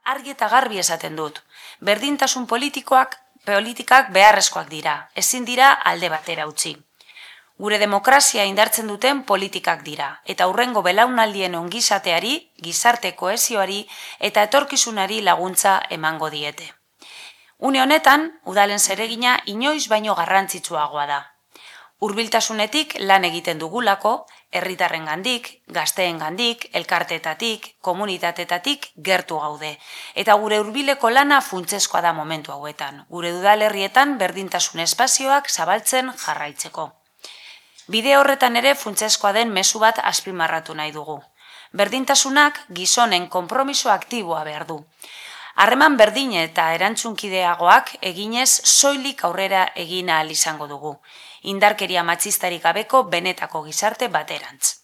Argi eta garbi esaten dut. Berdintasun politikak beharrezkoak dira, ezin dira alde batera utzi. Gure demokrazia indartzen duten politikak dira, eta hurrengo belaunaldien ongizateari, gizarte kohesioari eta etorkizunari laguntza emango diete. Une honetan, udalen zeregina inoiz baino garrantzitsuagoa da. Hurbiltasunetik lan egiten dugulako, herritarrengandik, gazteengandik, elkarteetatik, komunitatetatik gertu gaude. Eta gure hurbileko lana funtsezkoa da momentu hauetan, gure udalerrietan berdintasun espazioak zabaltzen jarraitzeko. Bide horretan ere funtsezkoa den mezu bat azpimarratu nahi dugu. Berdintasunak gizonen konpromiso aktiboa behar du. Harreman berdin eta erantzunkideagoak eginez soilik aurrera egin ahal izango dugu. Indarkeria matxistarik gabeko benetako gizarte baterantz.